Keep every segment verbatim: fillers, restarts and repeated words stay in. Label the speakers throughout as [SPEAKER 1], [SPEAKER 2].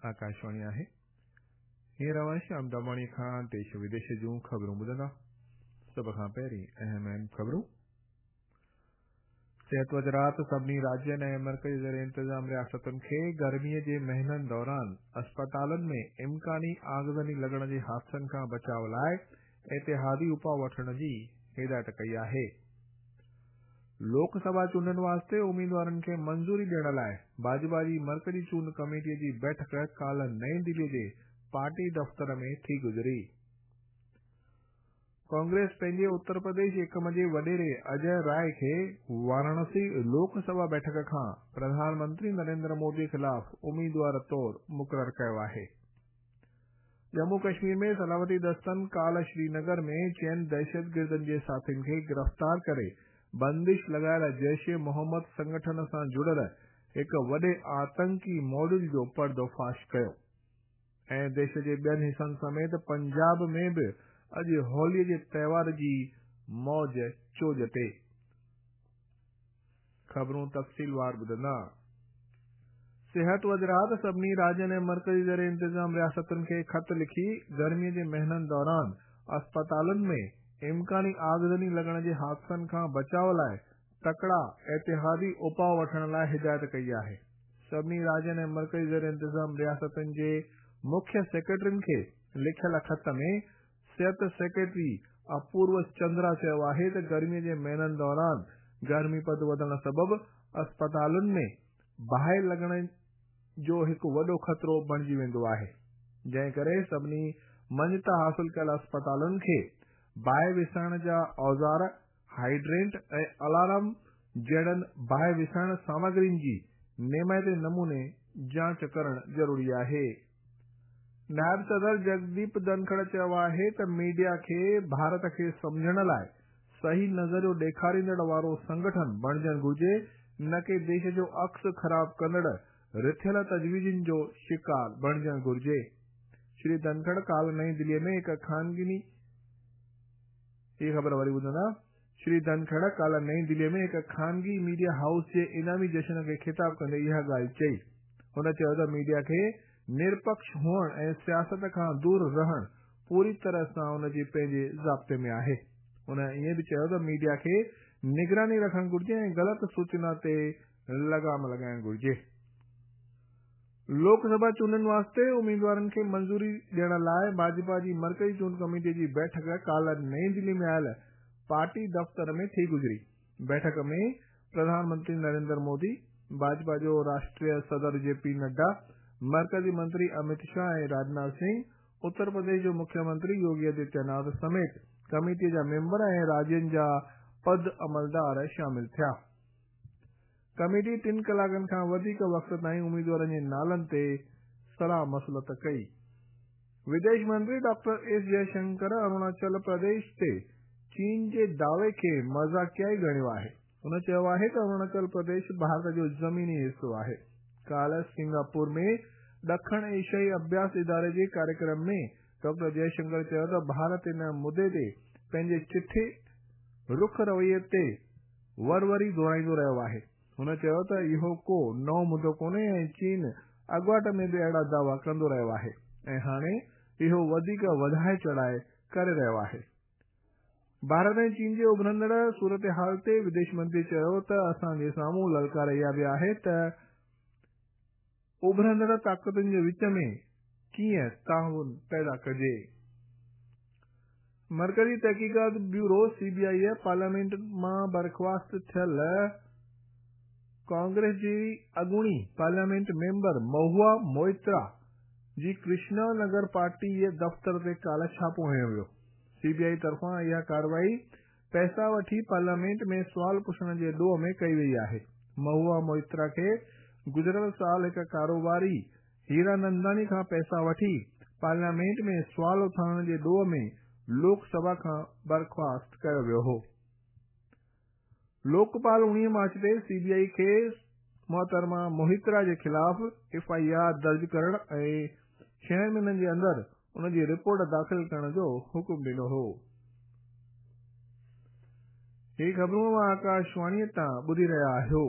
[SPEAKER 1] आकाशवाणी आहे। हींअर अवां श्याम दामाणी खां देश विदेश जूं ख़बरूं ॿुधंदा। सभ खां पहिरीं अहम अहम ख़बरूं। सिहत वज़ारत सभिनी राज्यनि ऐं मर्कज़ी ज़ेर इंतज़ाम रियासतुनि खे गर्मीअ जे महीननि दौरान अस्पतालनि में इम्कानी आगज़नी लॻण जे हादसनि खां बचाव लाइ एतिहादी उपाउ वठण जी हिदायत कई आहे। लोकसभा चूंडनि वास्ते उमेदवारनि खे मंज़ूरी ॾियण लाइ भाजपा जी मर्कज़ी चूंड कमेटीअ जी बैठक काल्ह नई दिल्लीअ जे पार्टी दफ़्तर में थी गुज़री। कांग्रेस पंहिंजे उत्तर प्रदेश एकम जे वॾेरे अजय राय खे वाराणसी लोकसभा बैठक खां प्रधानमंत्री नरेंद्र मोदी ख़िलाफ़ उमेदवार तौर मुक़ररु कयो आहे। जम्मू कश्मीर में सलामती दस्तनि काल्ह श्रीनगर में चइनि दहशतगिर्दनि जे साथियुनि खे गिरफ़्तार करे बंदिश लॻायल जैश ए मोहम्मद संगठन सां जुड़ियल हिकु वॾे आतंकी मॉड्यूल जो पर्दोफाश कयो। ऐं देश जे ॿियनि हिसनि समेत पंजाब में बि अॼु होलीअ जे त्योहार जी मौज चोज ते। ख़बरूं तफ़सीलवार ॿुधंदा। सिहत वज़ारत सभिनी राज्यनि ऐं मर्कज़ी ज़ेर इंतज़ाम रियासतुनि खे ख़त लिखी गर्मीअ जे महीननि दौरान अस्पतालुनि में इम्कानी आगज़नी लॻण जे हादसनि खां बचाव लाइ तकड़ा एतिहादी उपाउ वठण लाइ हिदायत कई आहे। सभिनी राज्यनि ऐं मर्कज़ी ज़ेर इंतज़ाम रियासतुनि जे मुख्य सेक्रेटरियुनि खे लिखियल ख़त में सिहत सेक्रेटरी अपूर्व चंद्रा चयो आहे त गर्मीअ जे महीननि दौरान गर्मी पद वधण सबबु अस्पतालुनि में बाहि लॻण जो हिकु वॾो ख़तरो बणिजी वेंदो आहे, जंहिं करे सभिनी मान्यता हासिल कयल अस्पतालुनि खे बाहि विसाइण जा औज़ार, हाइड्रेंट ऐं अलार्म जहिड़नि बाहि विसाइण सामग्रियुनि जी नेमाइते नमूने जांच करणु ज़रूरी आहे। नायब सदर जगदीप धनखड़ चयो आहे त मीडिया खे भारत खे सम्झण लाइ सही नज़रियो ॾेखारींदड़ वारो संगठन बणिजणु घुर्जे, न की देश जो अक्स ख़राब कंदड़ रिथियल तजवीज़ुनि जो शिकार बणिजणु घुर्जे। श्री धनखड़ काल्ह नई दिल्लीअ में हिकु खानगी हीअ ख़बर वरी ॿुधंदा। श्री धनखड़ काल्ह नई दिल्लीअ में हिकु खानगी मीडिया हाउस जे इनामी जश्न खे ख़िताब कंदे इहा ॻाल्हि चई। हुन चयो त मीडिया खे निरपक्ष हुअण ऐं सियासत खां दूर रहण पूरी तरह सां उनजे पंहिंजे ज़ाब्ते में आहे। हुन ईअं बि चयो त मीडिया खे निगरानी रखणु घुर्जे ऐं ग़लति सूचना ते लगाम लॻाइणु घुर्जे। लोकसभा चूंडनि वास्ते उमेदवारनि खे मंज़ूरी ॾियण लाइ भाजपा जी मर्कज़ी चूंड कमेटीअ जी बैठक काल्ह नई दिल्ली में आयल पार्टी दफ़्तर में थी गुज़री। बैठक में प्रधानमंत्री नरेंद्र मोदी, भाजपा जो राष्ट्रीय सदर जे पी नड्डा, मर्कज़ी मंत्री अमित शाह ऐं राजनाथ सिंह, उत्तर प्रदेश जो मुख्यमंत्री योगी आदित्यनाथ समेत कमेटीअ जा मेंबर ऐं राज्यनि जा पद अमलदार शामिल थिया। कमेटी टिनि कलाकनि खां वधीक वक़्त ताईं उमेदवारनि जे नालनि ते सलाह मसलत कई। विदेश मंत्री डॉक्टर एस जयशंकर अरुणाचल प्रदेश ते चीन जे दावे खे मज़ाकियाई ॻणियो आहे। हुन चयो आहे त अरुणाचल प्रदेश भारत जो ज़मीनी हिसो आहे। काल्ह सिंगापुर में ॾखण एशियाई अभ्यास इदारे जे कार्यक्रम में डॉक्टर जयशंकर चयो त भारत इन मुद्दे ते पंहिंजे चिठे रुख रवैये ते वर वरी दोहराईंदो रहियो आहे। हुन चयो त इहो को नओं मुद्दो कोन्हे ऐं चीन अॻवाट में बि अहिड़ा दावा कंदो रहियो आहे ऐं हाणे इहो वधीक वधाए चढ़ाए करे रहियो आहे। भारत ऐं चीन जे उभरंदड़ सूरत हाल ते विदेश मंत्री चयो त असांजे साम्हूं ललकार इहा बि आहे त उभरंदड़ ताक़तुनि जे विच में कीअं ताउन पैदा कजे। मर्कज़ी तहक़ीक़ात bureau C B I parliament मां बर्ख़्वास्त थियल कांग्रेस जी अॻूणी पार्लियामेंट मेंबर महुआ मोइत्रा जी कृष्णा नगर पार्टी जे दफ़्तर ते काल्ह छापो हणियो वियो। सी बी I तरफ़ां इहा कार्रवाई पैसा वठी पार्लियामेंट में सुवाल पुछण जे ॾोह में कई वई आहे। महुआ मोइत्रा खे गुज़िरियल साल हिकु कारोबारी हीरानंदानी खां पैसा वठी पार्लियामेंट में सुवाल उथारण जे ॾोह में लोकसभा खां बर्ख़्वास्त कयो वियो हो। लोकपाल उणिवीह मार्च ते सी बी I खे मोहतरमा मोहित्रा जे ख़िलाफ़ एफ I R दर्ज करण ऐं छह महीननि जे अंदरि उनजी रिपोर्ट दाख़िल करण जो हुकुम ॾिनो हो। ही ख़बरूं आकाशवाणीअ तां ॿुधी रहिया आहियो।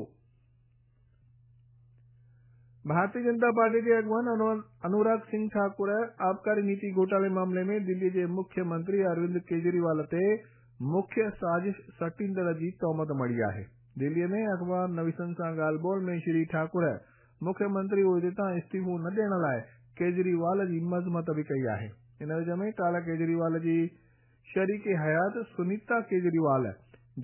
[SPEAKER 1] भारतीय जनता पार्टी जे अॻवान अनुराग सिंह ठाकुर आबकारी नीति घोटाले मामले में दिल्ली जे मुख्यमंत्री अरविंद केजरीवाल ते मुख्य साज़िश सटींदड़ जी तोहमत मढ़ी आहे। दिल्लीअ में अख़बार नवीसनि सां ॻाल्हि ॿोल में श्री ठाकुर मुख्यमंत्री उहिदे तां इस्तीफ़ो न ॾियण लाइ केजरीवाल जी मज़मत बि कई आहे। इन विच में काल्ह केजरीवाल जी शरीक हयात सुनीता केजरीवाल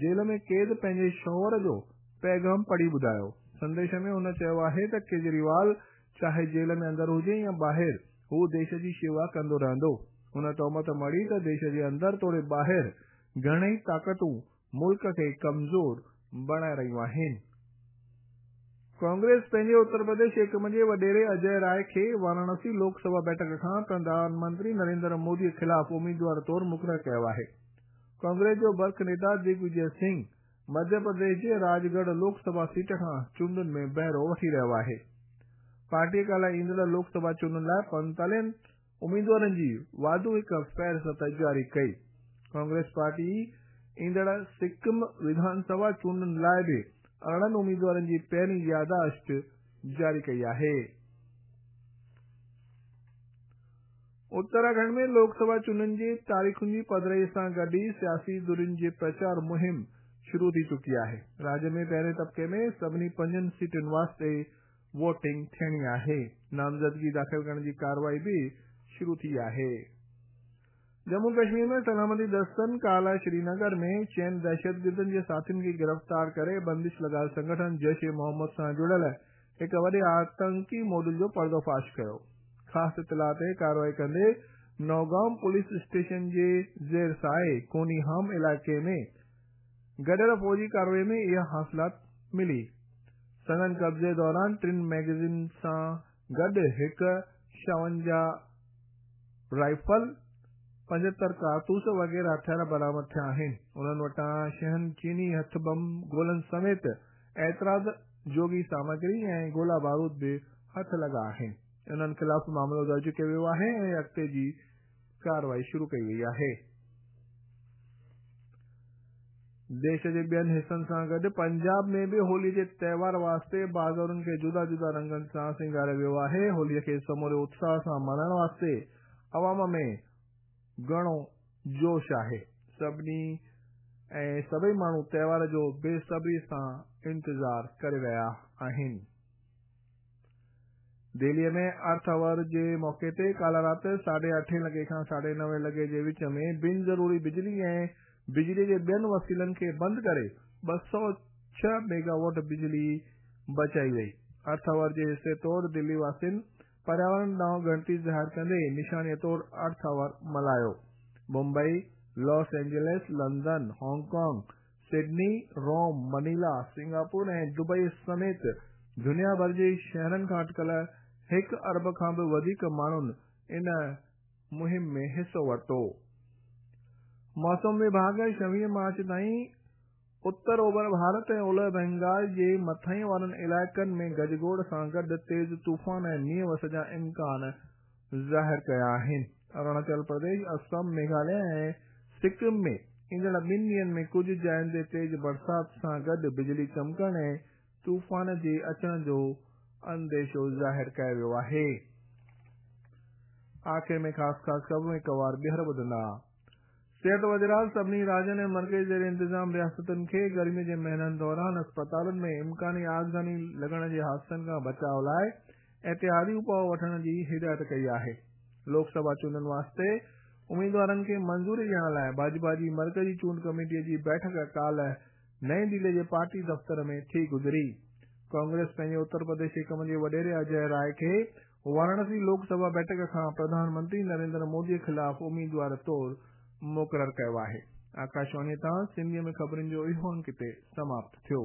[SPEAKER 1] जेल में क़ैद पंहिंजे शौहर जो पैगाम पढ़ी ॿुधायो। संदेश में हुन चयो आहे त केजरीवाल चाहे जेल में अंदरि हुजे या ॿाहिरि, हू देश जी शेवा कंदो रहंदो। हुन तोहमत मढ़ी त देश जे अंदरि तोड़े ॿाहिरि घणेई ताक़तूं मुल्क खे कमज़ोर बणाए रहियूं आहिनि। कांग्रेस पंहिंजे उत्तर प्रदेश एकम जे वॾेरे अजय राय खे वाराणसी लोकसभा बैठक खां प्रधानमंत्री नरेंद्र मोदी ख़िलाफ़ उम्मीदवार तौर मुक़ररु कयो आहे। कांग्रेस जो बर्ख नेता दिग्विजय सिंह मध्य प्रदेश जे राजगढ़ लोकसभा सीट खां चूंडुनि में बहिरो वठी रहियो आहे। पार्टी काल्ह ईंदड़ लोकसभा चूंडुनि लाइ पंजेतालीहनि उम्मीदवारनि जी वाधू हिकु फ़हरिस्त जारी कई। कांग्रेस पार्टी ईंदड़ सिक्किम विधानसभा चूंडुनि लाइ बि अरिड़हनि उम्मीदवारनि जी पहिरीं यादाश्त जारी कई आहे। उत्तराखंड में लोकसभा चूंडुनि जी तारीख़ुनि जी पधराई सां गॾु ई सियासी धुरियुनि जी प्रचार मुहिम शुरू थी चुकी आहे। राज्य में पहिरें तबिके में सभिनी पंजनि सीटुनि वास्ते वोटिंग थियणी आहे। नामज़दगी दाख़िल करण जी कार्रवाई बि शुरू थी आहे। जम्मू कश्मीर में सलामती दस्तनि काल्ह श्रीनगर में चइनि दहशतगिर्दनि जे साथियुनि खे गिरफ़्तार करे बंदिश लॻायल संगठन जैश ए मोहम्मद सां जुड़ियल हिकु वॾे आतंकी मॉड्यूल जो पर्दोफाश कयो। ख़ासि इतला ते कार्रवाई कंदे नौगांव पुलिस स्टेशन जे ज़ेर साए कोनीहाम इलाइक़े में गॾियल फ़ौजी कार्रवाई में इहा हासिलात मिली। संदन कब्ज़े दौरान टिनि मैगज़ीन सां गॾु हिकु छावंजाह राइफल, पंजहतरि कारतूस वग़ैरह हथियार बरामद थिया आहिनि। उन्हनि वटां छहनि चीनी हथ बम गोलनि समेत एतिराज़ जोगी सामग्री ऐं गोला बारूद बि हथ लॻा आहिनि। उन्हनि ख़िलाफ़ मामिलो दर्ज कयो वियो आहे ऐं अॻिते जी कार्रवाई शुरू कई वई आहे। देश जे ॿियनि हिसनि सां गॾु पंजाब में बि होली जे त्योहार वास्ते बाज़ारुनि खे जुदा जुदा रंगनि सां सिंगारियो वियो आहे। होलीअ खे समूरे उत्साह सां मल्हाइण वास्ते अवाम में घणो जोश आहे। सभिनी ऐं सभई माण्हू त्योहार जो बेसब्री सां इंतज़ार करे रहिया आहिनि। दिल्लीअ में अर्थ our जे मौक़े ते काल्ह राति साढे अठे लॻे खां साढे नवे लॻे जे विच में बिन ज़रूरी बिजली ऐं बिजली जे ॿियनि वसीलनि खे बंदि करे ॿ सौ छह मेगावाट बिजली बचाई वई। अर्थ our जे हिसे तौर दिल्ली वासियुनि पर्यावरण ॾांहुं ॻणती ज़ाहिर कंदे निशानीअ तौर अर्थ our मल्हायो। Mumbai, Los Angeles, London, Hong Kong, Sydney, Rome, Manila, Singapore ऐं दुबई समेत दुनिया भर जे शहरनि खां अटकल हिकु अरब खां बि वधीक माण्हुनि इन मुहिम में हिसो वरितो। मौसम विभाग छवीह मार्च ताईं उत्तर ओभर भारत ऐं ओलह बंगाल जे मथाई वारनि इलाइक़नि में गजगोड़ सां गॾु तेज़ तूफ़ान ऐं मींहं वस जा इम्कान ज़ाहिर कया आहिनि। अरुणाचल प्रदेश, असम, मेघालय ऐं सिक्किम में ईंदड़ ॿिनि ॾींहंनि में कुझु जायुनि ते तेज़ बरसाति सां गॾु बिजली चमकण ऐं तूफ़ान जे अचण जो अंदेशो ज़ाहिर कयो वियो आहे। आख़िर में ख़ासि ख़ासि ख़बरूं हिकु वार ॿीहर ॿुधंदा। सिहत वज़रात सभिनी राज्यनि ऐं मर्कज़ी ज़ेर इंतज़ाम रियासतुनि खे गर्मी जे महीननि दौरान अस्पतालुनि में इम्कानी आगज़नी लॻण जे हादसनि खां बचाव लाइ एहतियाती उपाउ वठण जी हिदायत कई आहे। लोकसभा चूंडुनि वास्ते उम्मीदवारनि खे मंज़ूरी ॾियण लाइ भाजपा जी मर्कज़ी चूंड कमेटीअ जी बैठक काल्ह नई दिल्ली जे पार्टी दफ़्तर में थी गुज़री। कांग्रेस पंहिंजे उत्तर प्रदेश एकम जे वॾेरे अजय राय खे वाराणसी लोकसभा बैठक खां प्रधानमंत्री नरेंद्र मोदी ख़िलाफ़ उम्मीदवार तौर मुक़ररु कयो आहे। आकाशवाणी तां सिंधीअ में ख़बरुनि जो इहो अंक हिते समाप्त थियो।